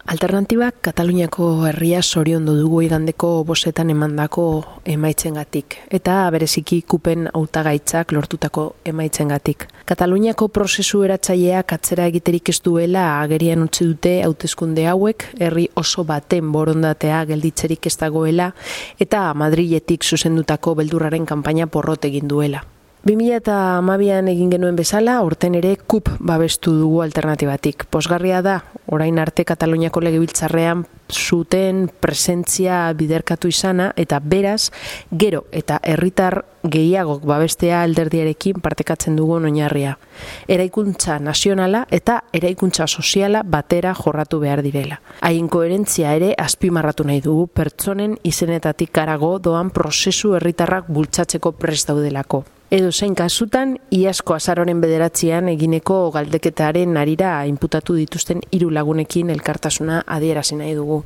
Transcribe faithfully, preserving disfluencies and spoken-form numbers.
Alternatibak Kataluniako herria zoriondu dugu igandeko bostetan emandako emaitzengatik eta bereziki kupen hautagaitzak lortutako emaitzengatik. Kataluniako prozesu eratzaileak atzera egiterik ez duela agerian utzi dute hauteskunde hauek, herri oso baten borondatea gelditzerik ez dagoela eta Madriletik zuzendutako beldurraren kanpaina porrot egin duela. bi mila hamabian egin genuen bezala, aurten ere kup babestu dugu alternatibatik. Pozgarria da, orain arte Kataluniako legebiltzarrean zuten presentzia biderkatu izana eta beraz, gero eta herritar gehiagok babestea alderdiarekin partekatzen dugun oinarria. Eraikuntza nazionala eta eraikuntza soziala batera jorratu behar direla. Haien koherentzia ere azpimarratu nahi dugu pertsonen izenetatik harago doan prozesu herritarrak bultzatzeko prest daudelako. Edo zein kasutan, iazko azaroren bederatzean egineko galdeketaren harira inputatu dituzten hiru lagunekin elkartasuna adierazi nahi dugu.